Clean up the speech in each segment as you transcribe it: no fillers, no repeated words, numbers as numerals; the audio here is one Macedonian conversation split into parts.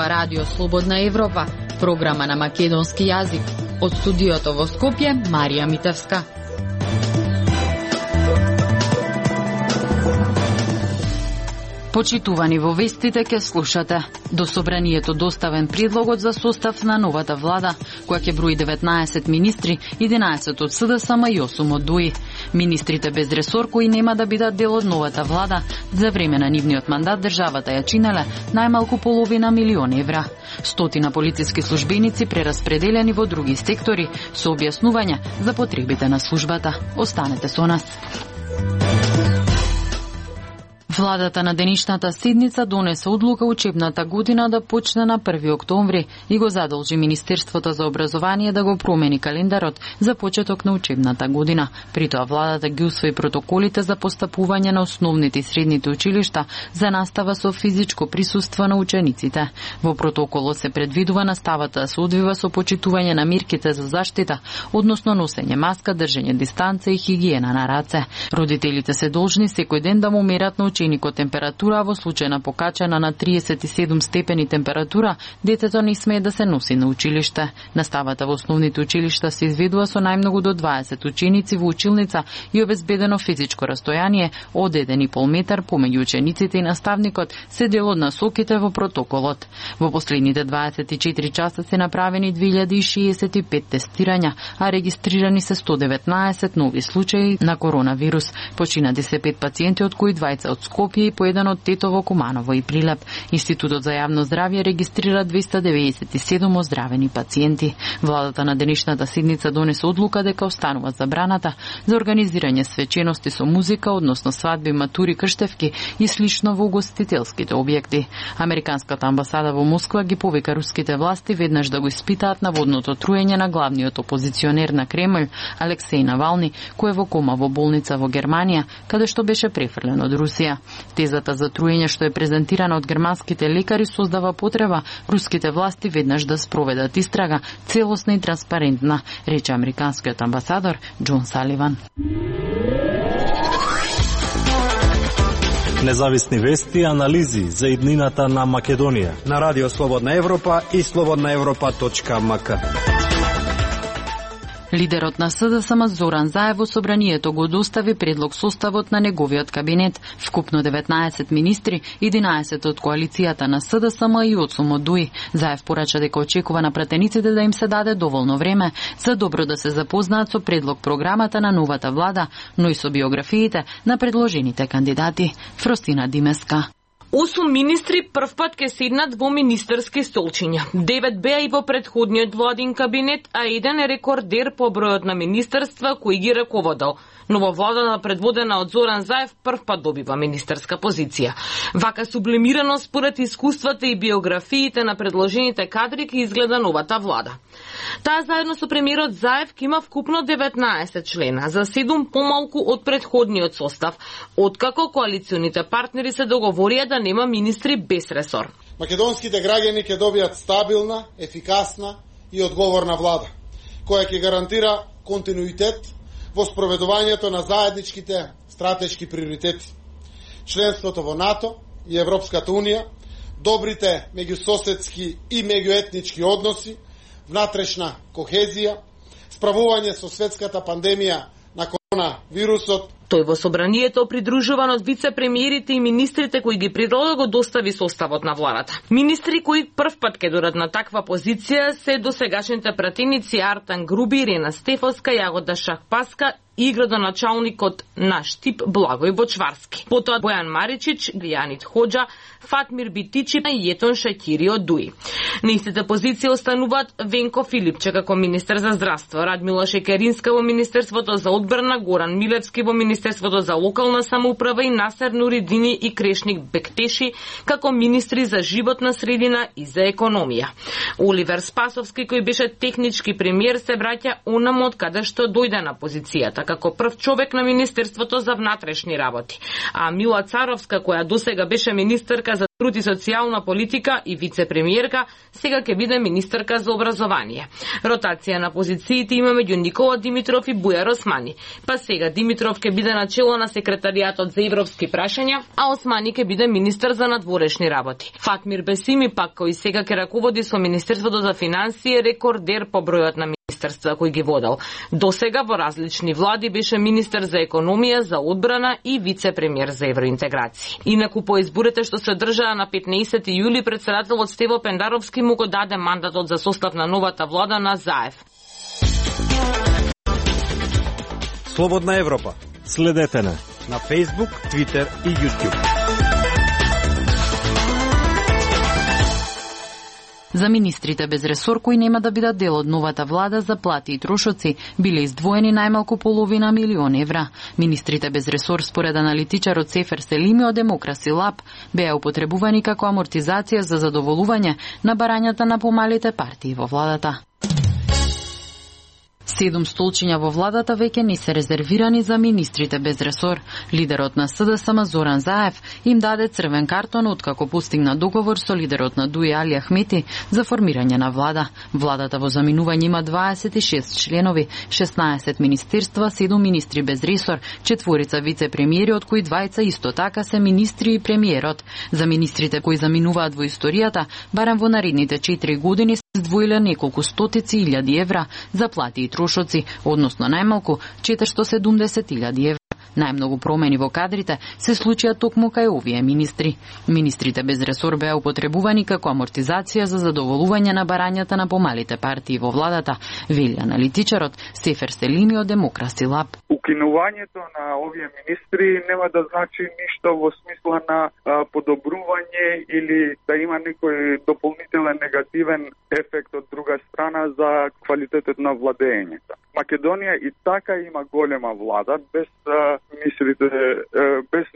ова Радио Слободна Европа, програма на македонски јазик. Од студиото во Скопје, Марија Митевска. Почитувани во вестите ке слушате. До собранието доставен предлогот за состав на новата влада, која ќе брои 19 министри, 11 од СДСМ и 8 од ДУИ. Министрите без ресор кои нема да бидат дел од новата влада, за време на нивниот мандат државата ја чинеле најмалку половина милион евра. Стотина полициски службеници прераспределени во други сектори со објаснување за потребите на службата. Останете со нас. Владата на денешната седница донесе одлука учебната година да почне на 1 октомври и го задолжи Министерството за образование да го промени календарот за почеток на учебната година. При тоа владата ги усвои протоколите за постапување на основните и средните училишта за настава со физичко присуство на учениците. Во протоколот се предвидува наставата да се одвива со почитување на мерките за заштита, односно носење маска, држење дистанца и хигиена на раце. Родителите се должни секој ден да му мерат на ученикот температура, а во случај на покачена на 37 степени температура, детето не смее да се носи на училиште. Наставата во основните училишта се изведува со најмногу до 20 ученици во училница и обезбедено физичко растојание од 1,5 метар помеѓу учениците и наставникот се дел од насоките во протоколот. Во последните 24 часа се направени 2065 тестирања, а регистрирани се 119 нови случаи на коронавирус. Починати се 5 пациенти, од кои 20 од Скопје и по еден од Тетово, Куманово и Прилеп. Институтот за јавно здравје регистрира 297 оздравени пациенти. Владата на денешната седница донесе одлука дека останува забраната за организирање свечености со музика, односно свадби, матури, крштевки и слично во угостителските објекти. Американската амбасада во Москва ги повика руските власти веднаш да го испитаат наводното труење на главниот опозиционер на Кремљ, Алексеј Навални, кој е во кома во болница во Германија, каде што беше префрлен од Русија. Тезата за труење што е презентирана од германските лекари создава потреба руските власти веднаш да спроведат истрага целосна и транспарентна, рече американскиот амбасадор Џон Саливан. Независни вести и анализи за иднината на Македонија на Радио Слободна Европа и slobodnaevropa.mk. Лидерот на СДСМ Зоран Заев во собранието го достави предлог составот на неговиот кабинет, вкупно 19 министри, 11 од коалицијата на СДСМ и 8 од ДУИ. Заев порача дека очекува на пратениците да им се даде доволно време за добро да се запознаат со предлог програмата на новата влада, но и со биографиите на предложените кандидати. Фростина Димеска. 8 министри првпат ке седнат во министерски столчиња. 9 беа и во претходниот владин кабинет, а еден е рекордер по бројот на министерства кои ги раководел. Но во владата предводена од Зоран Заев првпат добива министерска позиција. Вака сублимирано според искуствата и биографиите на предложените кадри ке изгледа новата влада. Таа заедно со премиерот Заев ке има вкупно 19 члена, за 7 помалку од претходниот состав, откако коалиционите партнери се договорија да нема министри без ресор. Македонските граѓани ќе добијат стабилна, ефикасна и одговорна влада, која ќе гарантира континуитет во спроведувањето на заедничките стратешки приоритети. Членството во НАТО и Европската Унија, добрите меѓусоседски и меѓуетнички односи, внатрешна кохезија, справување со светската пандемија на коронавирусот. Тој во собранието придружуван од вице-премиерите и министрите кои ги предлога го достави составот на владата. Министри кои првпат ке додат на таква позиција се досегашните пратеници Артан Груби, Ирена Стефовска, Јагода Шахпаска и градоначалникот на Штип Благој Бочварски. Потоа Бојан Маричич, Јанит Хоџа, Фатмир Битичи и Јетон Шакири од ДУИ. На истите позиции остануваат Венко Филипче како министер за здравство, Радмила Шекеринска во Министерството за одбрана, Горан Милевски во Министерството за локална самоуправа и Насер Нуридини и Крешник Бектеши како министри за животна средина и за економија. Оливер Спасовски, кој беше технички премиер, се враќа онаму од каде што дојде на позицијата, како прв човек на Министерството за внатрешни работи. А Мила Царовска, која досега беше министерка за труд и социјална политика и вице-премиерка, сега ќе биде министерка за образование. Ротација на позициите има меѓу Никола Димитров и Бујар Османи. Па сега Димитров ќе биде начело на секретаријатот за европски прашања, а Османи ќе биде министер за надворешни работи. Фатмир Бесими пак кој сега ќе раководи со Министерството за финансии, рекордер по бројот на министерства кои ги водел. Досега во различни влади беше министер за економија, за одбрана и вице-премиер за евроинтеграција. Инаку по изборите што се одржаа на 15 јули, председателот Стево Пендаровски му го даде мандатот за состав на новата влада на ЗАЕВ. Слободна Европа. Следете на Facebook, Twitter и YouTube. За министрите без ресор кои нема да бидат дел од новата влада, за плати и трошоци биле издвоени најмалку половина милион евра. Министрите без ресор според аналитичарот Сефер Селими од Демокраси Лаб беа употребувани како амортизација за задоволување на барањата на помалите партии во владата. 7 столчиња во владата веќе не се резервирани за министрите без ресор. Лидерот на СДСМ Зоран Заев им даде црвен картон откако постигна договор со лидерот на ДУИ Али Ахмети за формирање на влада. Владата во заминување има 26 членови, 16 министерства, 7 министри без ресор, 4 вице-премиери, од кои 2 исто така се министри и премиерот. За министрите кои заминуваат во историјата, барем во наредните 4 години се издвоиле неколку стотици илјади евра за плати и трошоци, односно најмалку 470.000 евра. Најмногу промени во кадрите се случија токму кај овие министри. Министрите без ресор беа употребувани како амортизација за задоволување на барањата на помалите партии во владата, вели аналитичарот Сефер Селими од Демокраси Лаб. Укинувањето на овие министри нема да значи ништо во смисла на подобрување или да има некој дополнителен негативен ефект од друга страна за квалитетот на владењето. Македонија и така има голема влада без министрите, без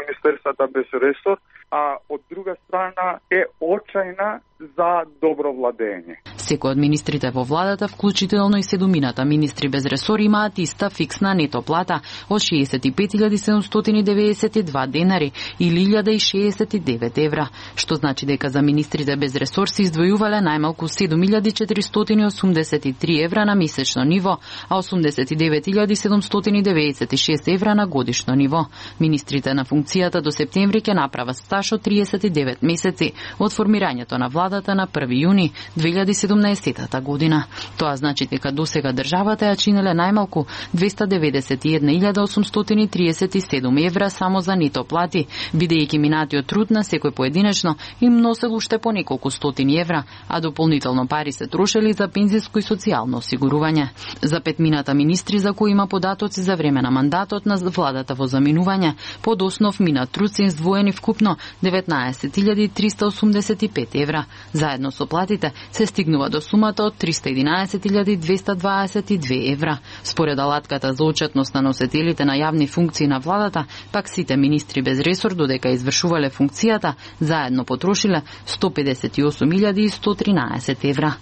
министерствата без ресор, а од друга страна е очајна за добро владење. Секој од министрите во владата, вклучително и 7 министри без ресор, имаат иста фиксна нето плата од 65.792 денари или 1.069 евра, што значи дека за министрите без ресор се издвојувале најмалку 7.483 евра на месечно ниво, а 89.796 евра на годишно ниво. Министрите на функцијата до септември ќе направат стаж од 39 месеци од формирањето на владата на 1 јуни 2017 година. Тоа значи дека досега државата ја чинеле најмалку 291.837 евра само за нето плати, бидејќи минатиот труд на секој поединечно им носел уште по неколку стотини евра, а дополнително пари се трошели за пензиско и социјално осигурување. За 5 министри за кои има податоци за време на мандатот на владата во заминување, под основ минат труд се издвоени вкупно 19.385 евра. Заедно со платите се стигнува до сумата од 311.222 евра. Според алатката за отчетност на носителите на јавни функции на владата, пак сите министри без ресор додека извршувале функцијата, заедно потрошиле 158.113 евра.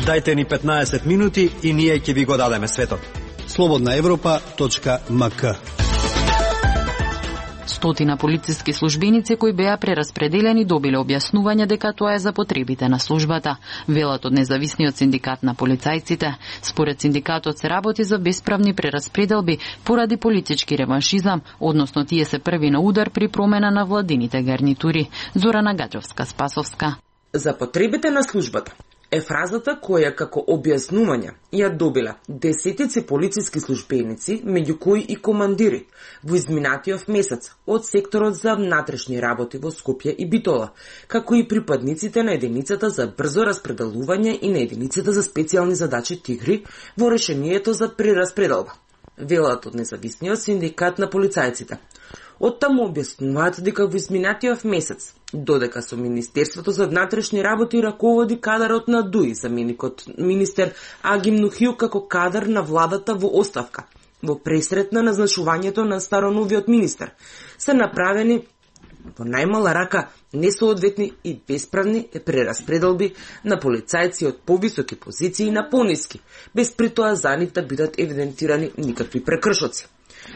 Дајте ни 15 минути и ние ќе ви го дадеме светот. slobodnaevropa.mk. Стотина полициски службеници кои беа прераспределени добиле објаснување дека тоа е за потребите на службата, велат од независниот синдикат на полицајците. Според синдикатот се работи за бесправни прераспределби поради политички реваншизам, односно тие се први на удар при промена на владините гарнитури. Зорана Гаджовска-Спасовска. За потребите на службата е фразата која како објаснување ја добила десетици полициски службеници, меѓу кои и командири, во изминатиот месец од секторот за внатрешни работи во Скопје и Битола, како и припадниците на единицата за брзо распределување и на единицата за специјални задачи Тигри во решението за прераспределба, велат од независниот синдикат на полицајците. Оттаму објаснуваат дека во изминатиот месец, додека со Министерството за внатрешни работи раководи кадарот на ДУИ, заменикот министер Агим Нухил како кадар на владата во оставка, во пресрет на назначувањето на староновиот министер, се направени во најмала рака несоодветни и бесправни прераспределби на полицајци од повисоки позиции на пониски, без при тоа за нив да бидат евидентирани никакви прекршоци.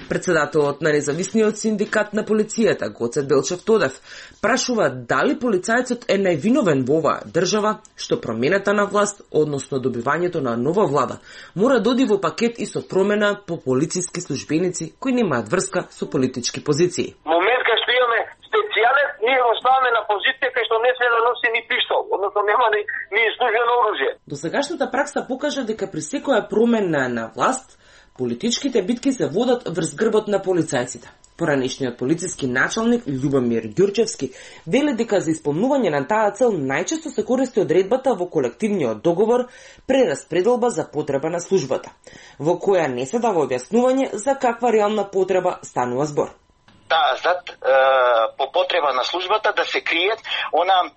Председателот на независниот синдикат на полицијата, Гоце Делчев Тодев, прашува дали полицајецот е највиновен во оваа држава, што промената на власт, односно добивањето на нова влада, мора да оди во пакет и со промена по полициски службеници кои немаат врска со политички позиции. Момент кај што имаме специјален, ние го ставаме на позиција кај што не се да носи ни пиштол, односно нема ни службено оружје. Досегашната пракса покажа дека при секоја промена на власт, политичките битки се водат врз грбот на полицајците. Поранешниот полициски началник Љубомир Ѓурчевски вели дека за исполнување на таа цел најчесто се користи одредбата во колективниот договор прераспределба за потреба на службата, во која не се дава објаснување за каква реална потреба станува збор. Зад по потреба на службата да се криет она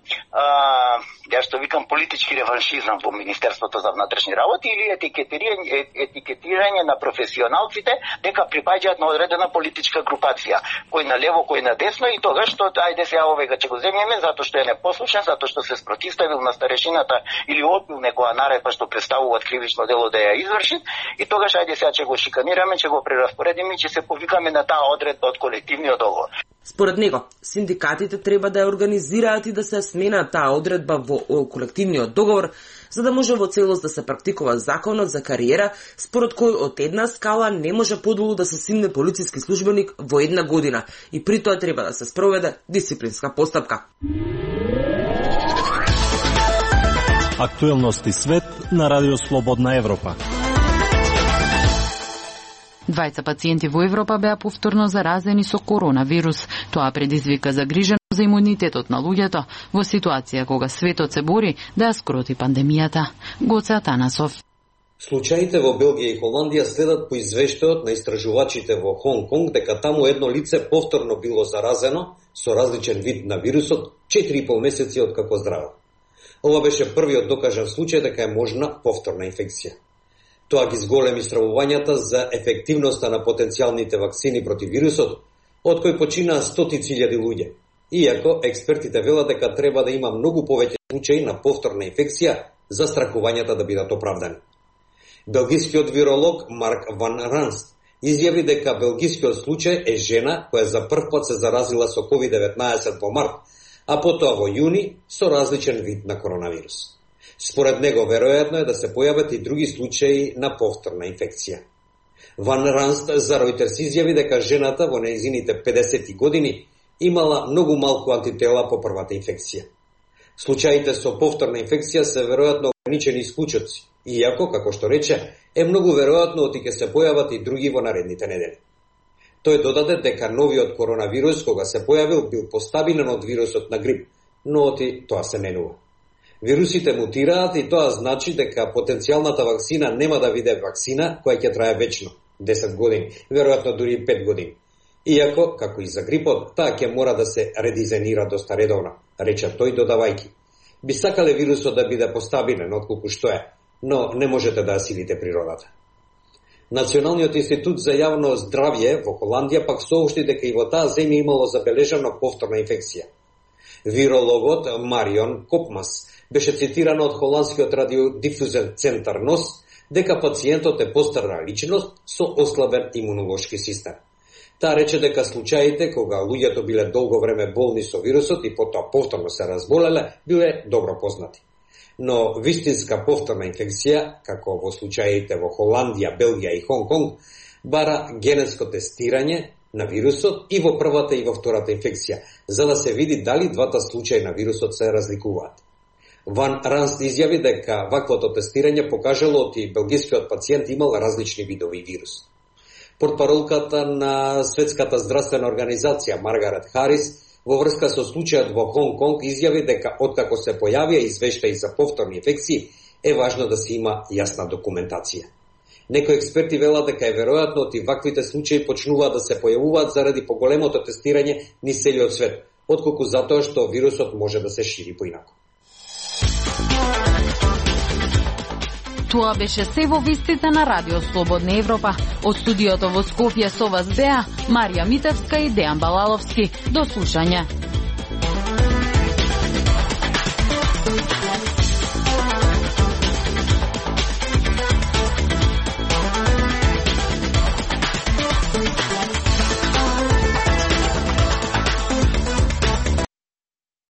ја што викам политички реваншизам во Министерството за внатрешни работи или етикетирање на професионалците дека припаѓаат на одредена политичка групација, кој на лево, кој на десно, и тогаш што ајде сега овега ќе го земеме затоа што е непослушен, затоа што се спротивставил на старешината или одбил некоја наредба што представуваат кривично дело да ја изврши, и тогаш ајде сега ќе го шиканираме, ќе го прераспоредиме, ќе се повикаме на таа одредба од колективниот договор. Според него, синдикатите треба да ја организираат и да се смена таа одредба во колективниот договор, за да може во целост да се практикува законот за кариера, според кој од една скала не може подолу да се симне полициски службеник во една година и при тоа треба да се спроведе дисциплинска постапка. Актуелности свет на Радио Слободна Европа. 2 пациенти во Европа беа повторно заразени со коронавирус. Тоа предизвика загриженост за имунитетот на луѓето во ситуација кога светот се бори да ја скроти пандемијата. Гоце Атанасов. Случаите во Белгија и Холандија следат по извештајот на истражувачите во Хонг Конг дека таму едно лице повторно било заразено со различен вид на вирусот 4,5 месеци откако здраво. Ова беше првиот докажан случај дека е можна повторна инфекција. Тоа ги зголеми стравувањата за ефективноста на потенцијалните вакцини против вирусот, од кои починаа стотици илјади луѓе. Иако експертите велат дека треба да има многу повеќе случаи на повторна инфекција за страхувањата да бидат оправдани. Белгискиот виролог Марк Ван Ранст изјави дека белгискиот случај е жена која за прв пат се заразила со COVID-19 во март, а потоа во јуни со различен вид на коронавирус. Според него, веројатно е да се појават и други случаи на повторна инфекција. Ван Ранст за Reuters изјави дека жената во нејзините 50 години имала многу малку антитела по првата инфекција. Случаите со повторна инфекција се веројатно ограничени исклучоци, иако, како што рече, е многу веројатно оти ќе се појават и други во наредните недели. Тој додаде дека новиот коронавирус, кога се појавил, бил постабилен од вирусот на грип, но оти тоа се менува. Вирусите мутираат и тоа значи дека потенцијалната вакцина нема да биде вакцина која ќе трае вечно, 10 години, веројатно дури 5 години. Иако, како и за грипот, таа ќе мора да се редизајнира доста редовно, рече тој додавајки. Би сакале вирусот да биде постабилен отколку што е, но не можете да ја силите природата. Националниот институт за јавно здравје во Холандија пак соопшти дека и во таа земја имало забележано повторна инфекција. Вирологот Марион Копмас беше цитиран од холандскиот радиодифузен центар НОС дека пациентот е постарна личност со ослабен имунолошки систем. Таа рече дека случаите кога луѓето биле долго време болни со вирусот и потоа повторно се разболеле, биле добро познати. Но вистинска повторна инфекција, како во случаите во Холандија, Белгија и Хонг Конг, бара генетско тестирање на вирусот и во првата и во втората инфекција, за да се види дали двата случаи на вирусот се разликуваат. Ван Ранст изјави дека ваквото тестирање покажало оти белгискиот пациент имал различни видови вирус. Портпаролката на Светската здравствена организација Маргарет Харис во врска со случајот во Хонг Конг изјави дека откако се појавија извештаи за повторни инфекции, е важно да се има јасна документација. Некои експерти велат дека е веројатно оти ваквите случаи почнуваат да се појавуваат заради поголемото тестирање низ целиот свет, отколку затоа што вирусот може да се шири поинаку. Тоа беше се во вестите на Радио Слободна Европа. Од студиото во Скопје со вас беа Марија Митевска и Дејан Балаловски. До слушање.